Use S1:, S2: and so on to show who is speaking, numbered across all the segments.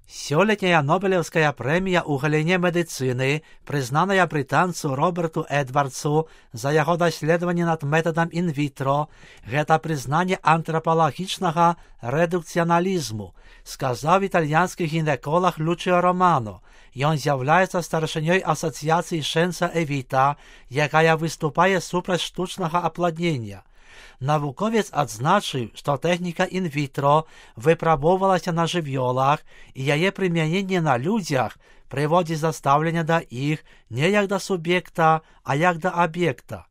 S1: Сёлетняя Нобелевская прэмія ў галіне медыцыны, прызнаная брытанцу Роберту Эдвардсу за яго даследаванне над метадам інвітро, гэта прызнанне антрапалагічнага рэдукцыяналізму, сказаў італьянскі гінеколог Лучио Романо. Ён з'яўляецца старшынёй асацыяцыі Шэнса Эвіта, якая выступае супраць штучнага апладнення. Навуковец адзначыў, што тэхніка інвітро выпрабоўвалася на жывёлах і яе прымяненне на людзях прыводзіць да стаўлення да іх не як да суб'екта, а як да аб'екта.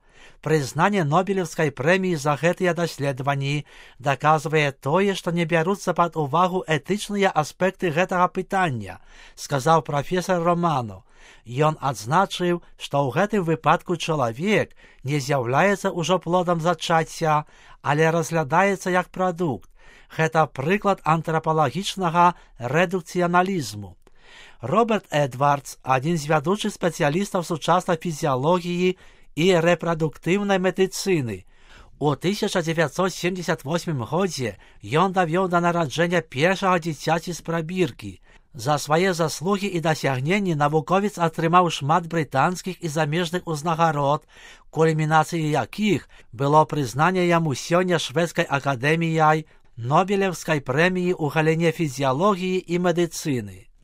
S1: Прызнанне Нобелевскай прэміі за гэтыя даследаванні даказвае тое, што не бяруцца пад увагу этычныя аспекты гэтага пытання, сказаў прафесар Романо. Ён адзначыў, што ў гэтым выпадку чалавек не з'яўляецца ўжо плодам зачацця, але разглядаецца як прадукт. Гэта прыклад антрапалагічнага рэдукцыяналізму. Роберт Эдвардс, адзін з вядучых спецыялістаў сучаснай фізіялогіі і рэпрадуктыўнай медыцыны. У 1978 годзе ён давёў да нараджэння першага дзіцяці з прабіркі. За свае заслугі і дасягненні навуковец атрымаў шмат брытанскіх і замежных узнагарод, кульмінацыяй якіх было прызнанне яму сёння шведскай акадэміяй Нобелевскай прэміі ў галіне фізіялогіі і медыцыны.